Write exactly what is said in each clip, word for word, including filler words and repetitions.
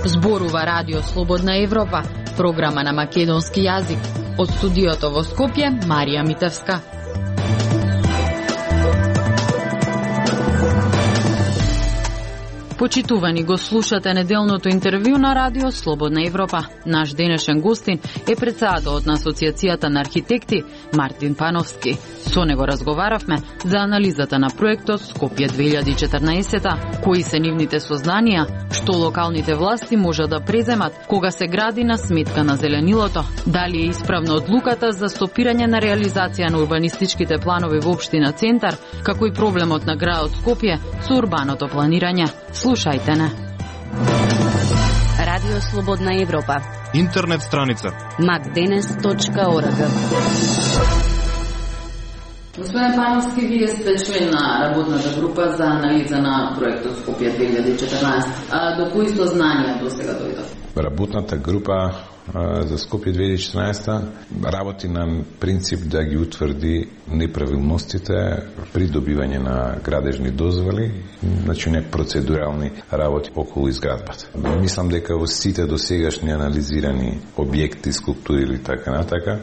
Зборува Радио Слободна Европа, програма на македонски јазик. Од студиото во Скопје, Марија Митевска. Почитувани, го слушате неделното интервју на Радио Слободна Европа. Наш денешен гостин е председателот на Асоциацијата на архитекти Мартин Пановски. Со него разговаравме за анализата на проектот Скопје две илјади и четрнаесета, кои се нивните сознанија, што локалните власти можат да преземат кога се гради на сметка на зеленилото, дали е исправна одлуката за стопирање на реализација на урбанистичките планови во општина Центар, како и проблемот на градот Скопје со урбаното планирање. Слушајте не. Радио Слободна Европа. Интернет страница макденес точка орг. Господин Пановски, вие сте член на работната група за анализа на проектот Скопје две илјади и четрнаесета. А до кои сознанија до сега дојдов? Работната група за Скопје две илјади и четрнаесета работи на принцип да ги утврди неправилностите при добивање на градежни дозволи, значи не процедурални работи околу изградбата. Мислам дека во сите досегашни анализирани објекти, скулптури или така натака,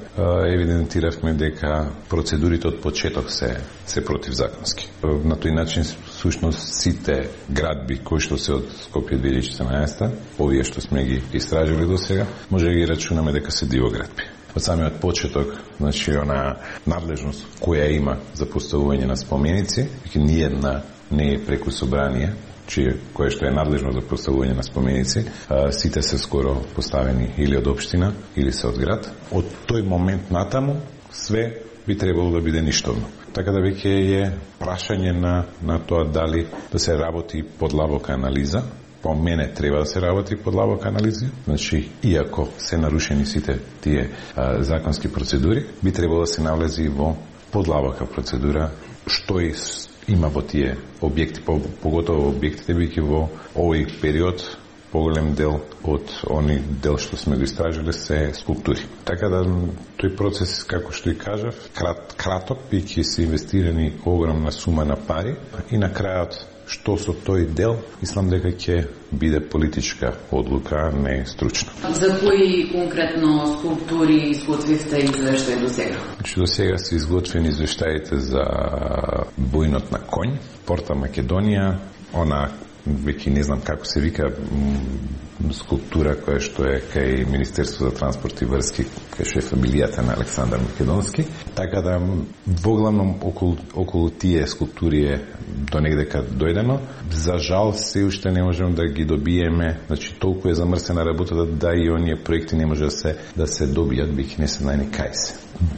евидентиравме дека процедурите од почеток се се противзаконски. На тој начин всушност сите градби кои што се од Скопје две илјади и четрнаесета, овие што сме ги истражили до сега, може да ги рачунаме дека се дивоградби. Од самиот почеток, значи, она надлежност која има за поставување на споменици, веќе ниедна не е преку собрание, чие кое што е надлежно за поставување на споменици, а, сите се скоро поставени или од општина, или се од град. Од тој момент натаму, све би требало да биде ништовно. Така да веќе е прашање на, на тоа дали да се работи подлабока анализа. По мене треба да се работи подлабока анализа. Значи, иако се нарушени сите тие а, законски процедури, би требало да се навлези во подлабока процедура, што и има во тие објекти, поготово објектите, биќе во овој период поголем дел од они дел што сме го истражили се скулптури. Така да тој процес, како што и кажав, крат, краток, биќе се инвестирани огромна сума на пари и на крајот што со тој дел, мислам дека ќе биде политичка одлука, не стручна. За кои конкретно скулптури изготвивте извештај до сега? Значи, до сега се изготвени извештаите за бојнот на конј, Порта Македонија, она веќе не знам како се вика, скулптура која што е кај Министерство за транспорт и врски, кај што е фамилијата на Александар Македонски. Така да воглавном околу, околу тие скулптури е до негдека дојдено. За жал се уште не можеме да ги добиеме, значи толку е замрсена работата да и оние проекти не може да се да се добијат, биќе не се знаени кај се.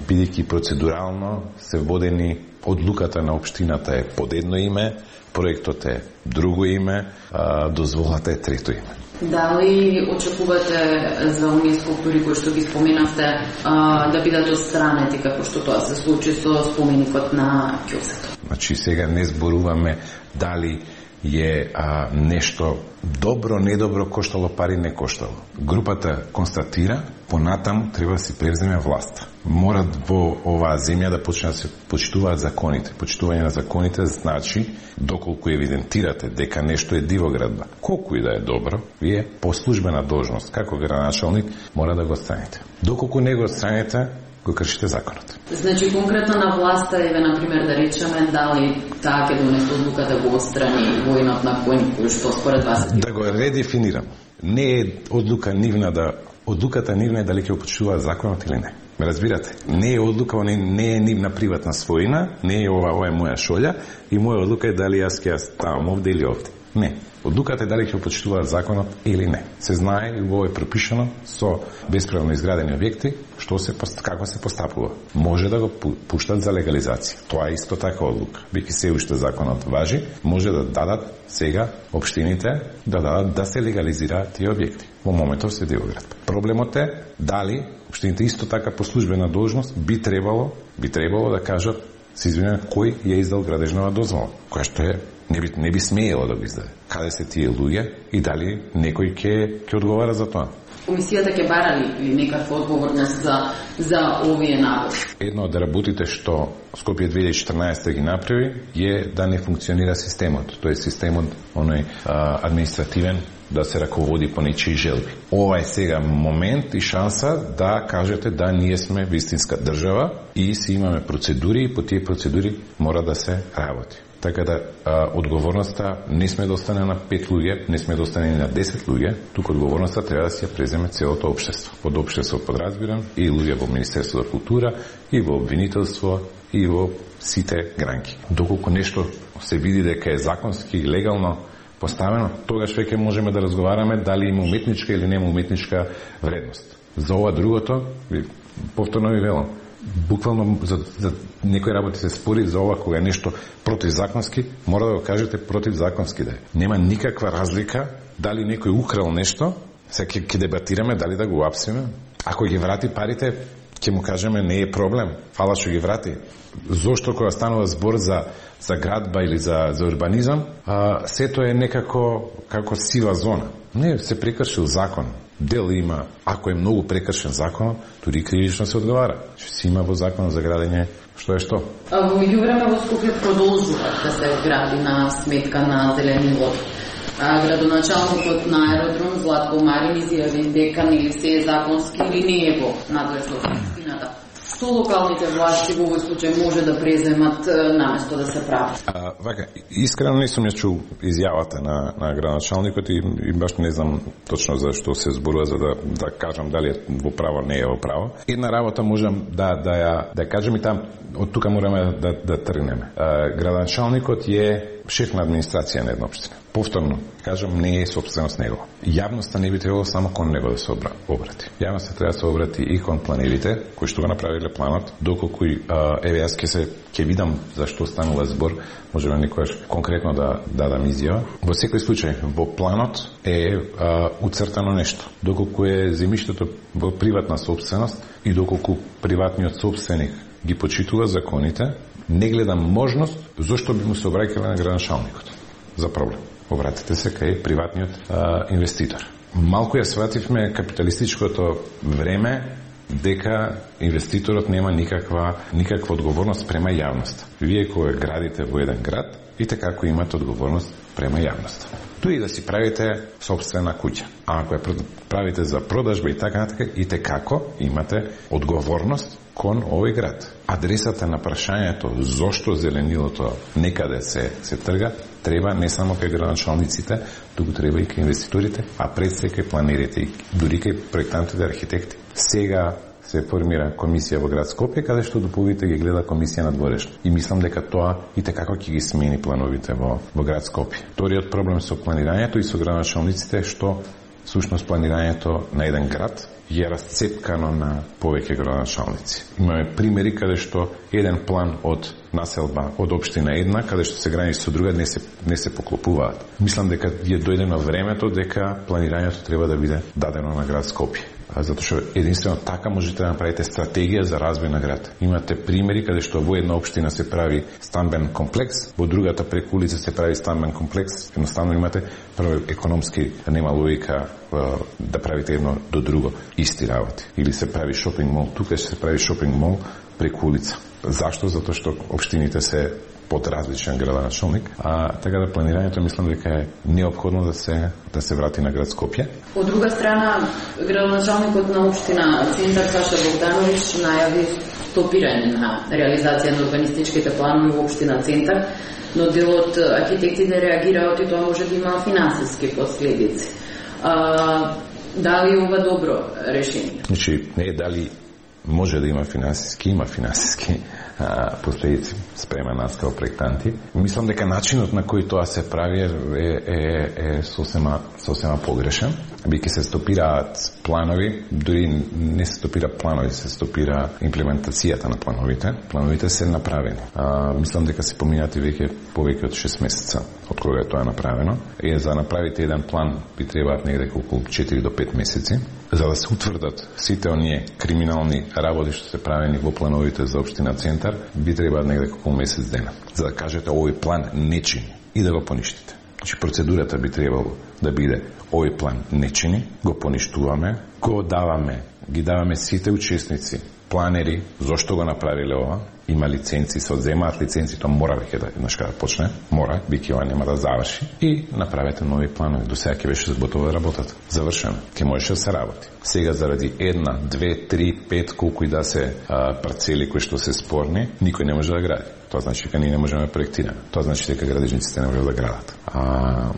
Бидејќи процедурално се водени, одлуката на општината е под едно име, проектот е друго име, а дозволата е трето име. Дали очекувате за оние скулптури кои што ги споменавте а, да бидат отстранети како што тоа се случи со споменикот на Ќосето? Значи сега не зборуваме дали е а, нешто добро, недобро, коштало пари, не коштало. Групата констатира, понатаму треба да си превземе власта. Морат во оваа земја да почнат да се почитуваат законите. Почитување на законите значи, доколку евидентирате дека нешто е дивоградба, колку и да е добро, вие по службена должност, како градоначалник, мора да го отстраните. Доколку не го отстраните, го кршите законот. Значи, конкретно на власта, еве, например, да речеме, дали таа ќе донесе одлука да го отстрани војнот на конј, кој што според вас... Да го редефинирам. Не е одлука нивна да... Одлуката нивна е дали ќе го почитуваат законот или не. Ме разбирате? Не е одлука, не, не е нивна приватна својина, не е ова, ова е моја шолја и моја одлука е дали јас ќе ставам овде или овде. Не. Одлуката е дали ќе почитуваат законот или не. Се знае и во е пропишано со бесправно изградени објекти што се како се постапува. Може да го пуштат за легализација. Тоа е исто така одлука. Бијќи се уште законот важи, може да дадат сега општините да дадат да се легализираат тие објекти. Во моментов се дивоградба. Проблемот е дали општините исто така по службена должност би требало би требало да кажат се извинувам кој ја издал градежнава дозвола, која што е Не би не би смеело да го издаде. Каде се тие луѓе и дали некој ќе ќе одговара за тоа? Комисијата ќе бара ли некаква одговорност за за овие набори? Едно од работите што Скопје две илјади и четрнаесета ги направи е да не функционира системот. Тој системот оној а, административен да се раководи по нечии желби. Ова е сега момент и шанса да кажете да ние сме вистинска држава и си имаме процедури и по тие процедури мора да се работи. Така да а, одговорноста не сме да остане на пет луѓе, не сме да остане на десет луѓе, туку одговорноста треба да си ја преземе целото општество. Под општество подразбирам и луѓе во Министерството за култура, и во обвинителство, и во сите гранки. Доколку нешто се види дека е законски и легално поставено, тогаш веќе можеме да разговараме дали има уметничка или нема уметничка вредност. За ова другото, повторно ви велам, буквално за, за некои работи се спори за ова кога е нешто противзаконски, мора да го кажете противзаконски да е. Нема никаква разлика дали некој украл нешто, сега ќе, ќе дебатираме дали да го апсиме. Ако ги врати парите, ќе му кажеме не е проблем, фала што ги врати. Зошто кога станува збор за за градба или за за урбанизам, а, сето е некако како сива зона. Не, се прекршил закон. Дел има, ако е многу прекршен закон, туди кривично се одговара. Што си има во законот за градење, што е што? Во меѓувреме во Скопје продолжува да се гради на сметка на зеленилот. Градоначалникот на аеродром Златко Марин изјави дека нели се е законски или не е во надлежност на општината. Што локалните власти во овој случај може да преземат наместо да се прави? А, вака, искрено не сум ја чул изјавата на, на градоначалникот и, и баш не знам точно за што се зборува, за да, да кажам дали е во право, не е во право. Една работа можам да, да, ја, да кажем и там, од тука мораме да, да тргнеме. А, градоначалникот е шеф на администрација на една општина. Повторно, кажам, не е собственост негова. Јавноста не би требало само кон него да се обрати. Јавноста треба да се обрати и кон планерите, кои што го направиле планот, доколку еве јас ќе се ќе видам за што станува збор, можеме некојаш конкретно да дадам изјава. Во секој случај, во планот е а, уцртано нешто. Доколку е земјиштето во приватна собственост и доколку приватниот собственик ги почитува законите, не гледам можност зошто би му се обраќале на градоначалникот за проблем. Обратете се кај приватниот а, инвеститор. Малку ја свативме капиталистичкото време дека инвеститорот нема никаква никаква одговорност према јавноста. Вие кога градите во еден град, и така како имате одговорност према јавноста. Туи да си правите собствена куќа. А ако ја правите за продажба и така натака, и како имате одговорност кон овој град. Адресата на прашањето зошто зеленилото некаде се се трга, треба не само кај градоначалниците, туку треба и кај инвеститорите, а пред се кај планерите и дури кај проектантите, архитекти. Сега се формира комисија во град Скопје, каде што доповите ги гледа комисија на дворешно. И мислам дека тоа и tekako ќе ги смени плановите во во град Скопје. Вториот проблем со планирањето и со градоначалниците што сушност планирањето на еден град е расцепкано на повеќе градоначалници. Имаме примери каде што еден план од населба од општина една, каде што се граничи со друга, не се не се поклопуваат. Мислам дека е дојдено времето дека планирањето треба да биде дадено на град Скопје. Затоа што единствено така можете да направите стратегија за развој на град. Имате примери каде што во една општина се прави стамбен комплекс, во другата преку улица се прави стамбен комплекс, едноставно имате прво економски нема логика да правите едно до друго исти работи. Или се прави шопинг мол, тука се прави шопинг мол преку улица. Зашто? Затоа што општините се под различен градоначалник, а така да планирањето мислам дека е неопходно да се да се врати на град Скопје. Од друга страна, градоначалникот на општина Центар Саша Богдановиќ најави стопирање на реализација на урбанистичките планови во општина Центар, но дел од архитектите реагираат и тоа може да има финансиски последици. А, дали ова добро решение? Значи, не е дали може да има финансиски, има финансиски а, последици спрема нас као проектанти. Мислам дека начинот на кој тоа се прави е, е, е сосема, сосема погрешен. Биќе се стопираат планови, дури не се стопира планови, се стопира имплементацијата на плановите. Плановите се направени. А, мислам дека се поминати веќе повеќе од шест месеца од кога е тоа направено. И за направите еден план би требаат негде околу четири до пет месеци. За да се утврдат сите оние криминални работи што се правени во плановите за општина Центар, би требаат негде околу месец дена. За да кажете овој план не чини. и да го поништите. Значи процедурата би требало да биде овој план не чини, го поништуваме, го даваме, ги даваме сите учесници, планери, зошто го направиле ова, има лиценци, се одземаат лиценци, тоа мора веќе да еднаш да почне, мора, биќе ова нема да заврши и направете нови планови. До сега ќе беше готова работата. Завршено. Ќе можеше да се работи. Сега заради една, две, три, пет, колку и да се а, парцели кои што се спорни, никој не може да гради. Тоа значи дека ние не можеме да проектираме. Тоа значи дека градежниците не можат да градат. А,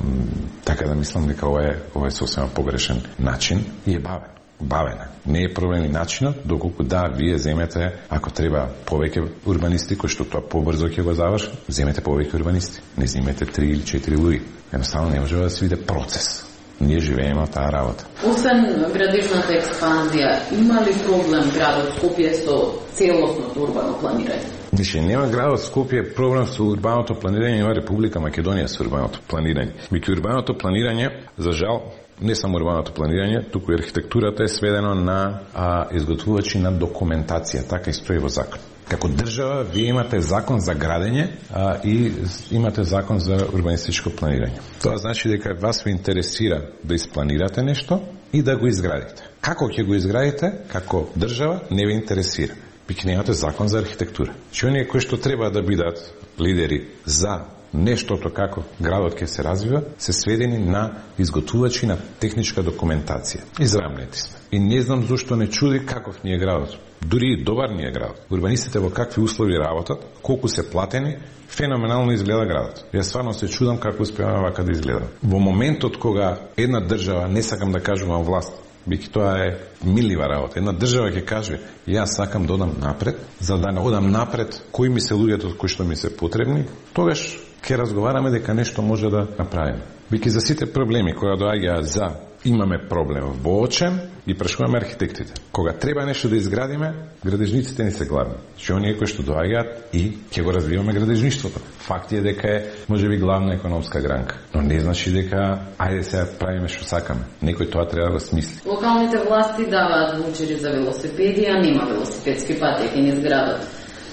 така да мислам дека ова е, ова е сосема погрешен начин и е бавен. Бавена. Не е проблем и начинот, доколку да, вие земете, ако треба повеќе урбанисти, кои што тоа побрзо ќе го завршат, земете повеќе урбанисти. Не земете три или четири луѓе. Едноставно не може да се види процес. Ние живееме таа работа. Освен градежната експанзија, има ли проблем градот Скопје со целосното урбано планирање? Значи, нема градот Скопје проблем со урбаното планирање, има Република Македонија со урбаното планирање. Меѓу урбаното планирање, за жал, не само урбаното планирање, туку и архитектурата е сведено на а, изготвувачи на документација, така и стои во закон. Како држава, вие имате закон за градење а, и имате закон за урбанистичко планирање. Тоа значи дека вас ви интересира да испланирате нешто и да го изградите. Како ќе го изградите, како држава, не ви интересира. Пиќе немате закон за архитектура. Че оние кои што треба да бидат лидери за нештото како градот ќе се развива, се сведени на изготвувачи на техничка документација. Израмнети сме. И не знам зошто не чуди каков ни е градот. Дури и добар ни е градот. Урбанистите во какви услови работат, колку се платени, феноменално изгледа градот. Јас стварно се чудам како успеваме вака да изгледа. Во моментот кога една држава, не сакам да кажувам власт, бики тоа е милива работа. Една држава ќе каже, јас сакам да одам напред, за да не одам напред, кои ми се луѓето кои што ми се потребни, тогаш ќе разговараме дека нешто може да направиме. Бики за сите проблеми кои доаѓаат за имаме проблем во Очем и прашуваме архитектите. Кога треба нешто да изградиме, градежниците ни се гладни. Што оние кои што доаѓаат и ќе го развиваме градежништвото. Факт е дека е можеби главна економска гранка, но не значи дека ајде сега правиме што сакаме. Некој тоа треба да смисли. Локалните власти даваат ваучери за велосипеди, а нема велосипедски патеки низ градот.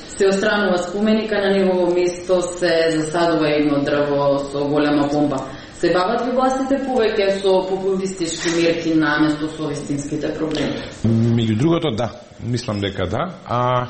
Се отстранува споменика, на негово место се засадува едно дрво со голема помпа. Се бават ли властите повеќе со популистички мерки наместо со вистинските проблеми? Меѓу другото, да. Мислам дека да. А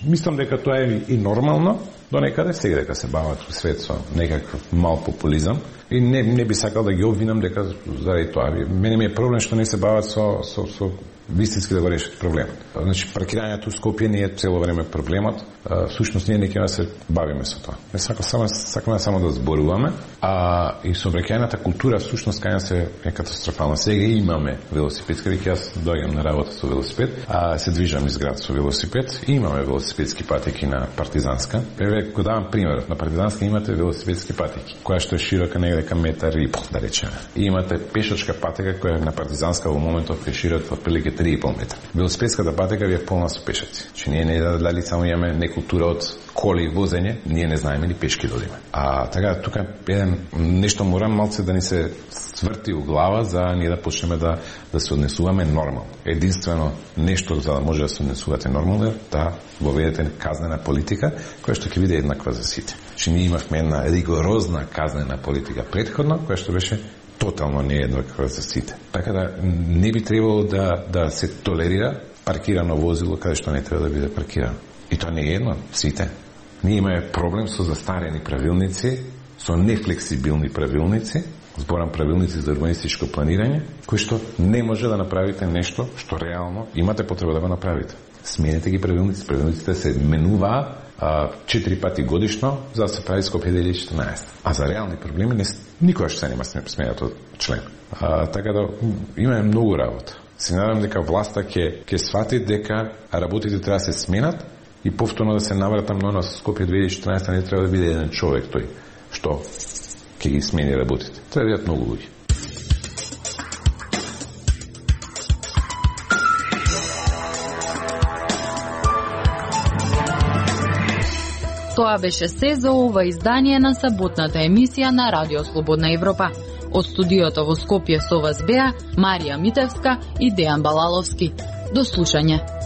мислам дека тоа е и нормално. До некаде сега дека се бават во свет со некаков мал популизам. И не, не би сакал да ги обвинам дека заради тоа. Мене ми е проблем што не се бават со, со, со вистински да го решат проблемот. Значи, паркирањето у Скопје не е цело време проблемот. Всушност, ние не ќе да се бавиме со тоа. Не сакам само, сакаме само да зборуваме, а и сообраќајната култура всушност кај нас е, е катастрофална. Сега имаме велосипедски, веќе јас доаѓам на работа со велосипед, а се движам из град со велосипед и имаме велосипедски патеки на Партизанска. Еве го давам примерот, на Партизанска имате велосипедски патеки, која што е широка негде към метар и пол, да речеме. И имате пешачка патека која на Партизанска во моментот е широка отприлike три и пол метра. Велосипедската патека ви е полна со пешаци. Че ние не дали само имаме некултура од коли и возење, ние не знаеме ни пешки да одиме. А така тука еден нешто мора малце да ни се сврти у глава за ние да почнеме да да се однесуваме нормално. Единствено нешто за да може да се однесувате нормално е да воведете казнена политика која што ќе биде еднаква за сите. Че ние имавме една ригорозна казнена политика претходно, која што беше тотално нееднаква за сите. Така да не би требало да да се толерира паркирано возило каде што не треба да биде паркирано. И тоа не е едно, сите. Ние имаме проблем со застарени правилници, со нефлексибилни правилници, зборам правилници за урбанистичко планирање, кои што не може да направите нешто што реално имате потреба да го направите. Сменете ги правилници, правилниците се менуваат четири пати годишно за да се прави Скопје две илјади и четрнаесетта. А за реални проблеми не, никогаш се нема сменат од член. А, така да имаме многу работа. Се надам дека власта ќе ќе свати дека работите треба да се сменат и повторно да се навратам на нас Скопје две илјади и четрнаесетта не треба да биде еден човек тој што ќе ги смени работите. Треба да бидат многу луѓе. Тоа беше се за ова издание на саботната емисија на Радио Слободна Европа. Од студиото во Скопје со вас беа Марија Митевска и Дејан Балаловски. До слушање.